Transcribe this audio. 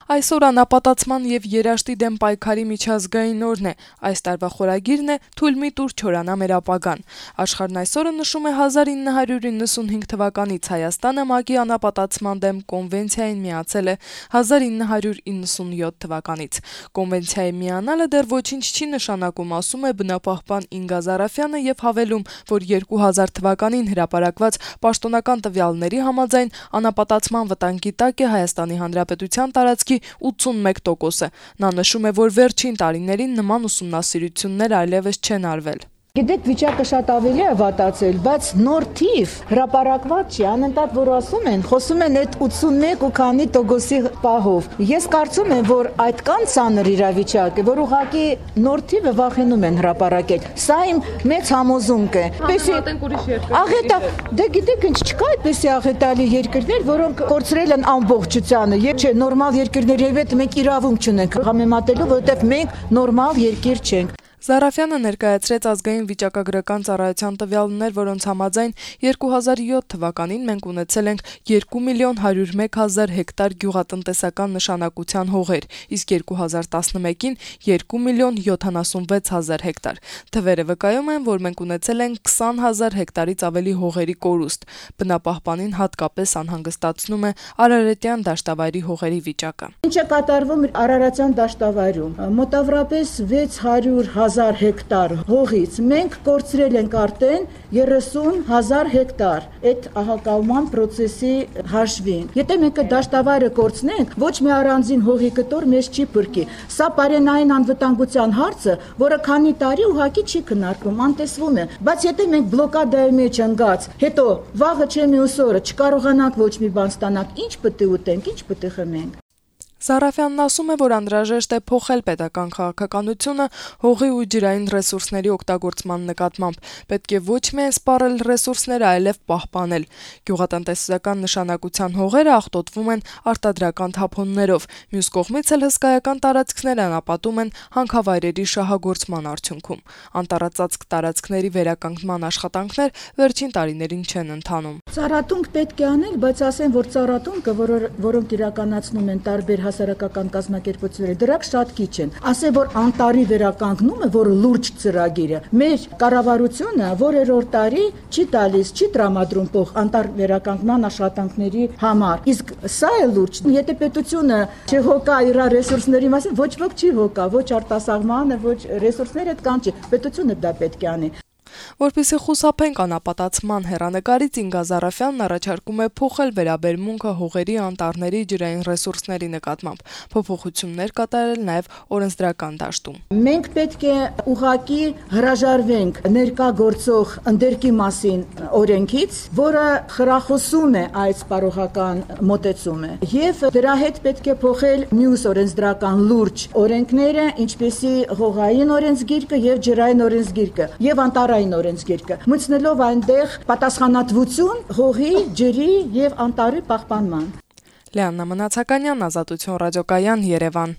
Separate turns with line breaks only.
Այսօր անապատացման եւ երաշտի դեմ պայքարի միջազգային օրն է, այս տարվա խորագիրն է «Թույլ մի տուր չորանա մեր ապագան»։ Աշխարհն այսօրը նշում է 1995 թվականից Հայաստանը ՄԱԿ-ի անապատացման դեմ կոնվենցիային միացել է 1997 թվականից։ Կոնվենցիայի միանալը դեռ ոչինչ չի նշանակում, ասում է բնապահպան Ինգա Զարաֆյանը եւ հավելում, որ 2000 թվականին հրապարակված պաշտոնական տվյալների համաձայն անապատացման վտանգի տակ է Հայաստանի Հանրապետության տարածքի 81%-ը։ Նա նշում է, որ վերջին տարիներին նման ուսումնասիրություններ այլևս չեն արվել։
Գիտեք, վիճակը շատ ավելի է վատացել, բայց նոր թիվ հրապարակված չի, անընդհատ որ խոսում են այդ 81 ու քանի տոկոսի պահով։ Ես կարծում եմ, որ այդքան ծանր իրավիճակ է, որ ուղղակի նոր թիվը վախենում են հրապարակել։ Սա իմ մեծ համոզունք է։ Դե գիտեք, ինչ չկա այդպեսի աղետալի երկրներ, որոնք կորցրել են ամբողջությանը, եւ չէ, նորմալ երկրների հետ մենք իրավունք չունենք համեմատելու, որովհետեւ մենք նորմալ երկիր չենք։
Զարաֆյանը ներկայացրեց ազգային վիճակագրական ծառայության տվյալներ, որոնց համաձայն 2007 թվականին մենք ունեցել ենք 2.101.000 հեկտար գյուղատնտեսական նշանակության հողեր, իսկ 2011-ին 2.076.000 հեկտար։ Թվերը վկայում են, որ մենք ունեցել ենք 20.000 հեկտարից ավելի հողերի կորուստ։ Բնապահպանին հատկապես անհանգստացնում է Արարատյան դաշտավայրի հողերի վիճակը։
Ինչ է կատարվում Արարատյան դաշտավայրում։ Մոտավորապես 600,000 հեկտար հողից մենք կորցրել ենք արդեն 30,000 հեկտար այդ ահակալման process-ի հաշվին։ Եթե մենք դաշտավայրը կորցնենք, ոչ մի առանձին հողի կտոր մեզ չի փրկի։ Սա պարենային անվտանգության հարցը, որը քանի տարի ուղղակի չի քննարկվում, անտեսվում է։ Բայց եթե մենք բլոկադայի մեջ ընկած, հետո վաղը չէ մյուս օրը չկարողանանք ոչ մի բան ստանանք, ինչ պետք է ուտենք, ինչ պետք է խմենք։
Զարաֆյանն ասում է, որ անհրաժեշտ է փոխել պետական քաղաքականությունը հողի ու ջրային ռեսուրսների օգտագործման նկատմամբ։ Պետք է ոչ միայն սպառել ռեսուրսները, այլև պահպանել։ Գյուղատնտեսական նշանակության հողերը աղտոտվում են արտադրական թափոններով։ Մյուս կողմից էլ հսկայական տարածքներ անապատում են հանքավայրերի շահագործման արդյունքում։ Անտառածածկ տարածքների վերականգնման աշխատանքներ վերջին տարիներին չեն ընթանում։
Ծառատունք պետք է անել, բայց ասեն, որ ծառատունքը, որոնք իրականացնում են տարբեր հասարակական կազմակերպությունները, դրանք շատ քիչ են։ Ասեն, որ անտառի վերականգնումը, որը լուրջ ծրագիր է, մեր կառավարությունը որերորդ տարի չի տալիս, չի տրամադրում փող անտառ վերականգնման աշխատանքների համար։ Իսկ սա է լուրջ։ Եթե պետությունը չհոգա իր ռեսուրսների մասին, ոչ ոք չի հոգա, ոչ արտասահմանը, ոչ ռեսուրսները կան չի։ Պետությունը դա պետք է անի։
Որպեսզի խուսափենք անապատացման հեռանկարից, Ինգա Զարաֆյանն առաջարկում է փոխել վերաբերմունքը հողերի, անտառների, ջրային ռեսուրսների նկատմամբ, փոփոխություններ կատարել նաև օրենսդրական դաշտում։
Մենք պետք է ուղղակի հրաժարվենք ներկա գործող ընդերքի մասին օրենքից, որը խրախուսում է այս սպառողական մոտեցումը, եւ դրա հետ պետք է փոխել մյուս օրենսդրական լուրջ օրենքները, ինչպեսի հողային օրենսգիրքը եւ ջրային օրենսգիրքը եւ անտառային օրենսգիրքը, մտցնելով այնտեղ պատասխանատվություն հողի, ջրի եւ անտառի պահպանման։
Լիաննա Մնացականյան, Ազատություն ռադիոկայան, Երևան։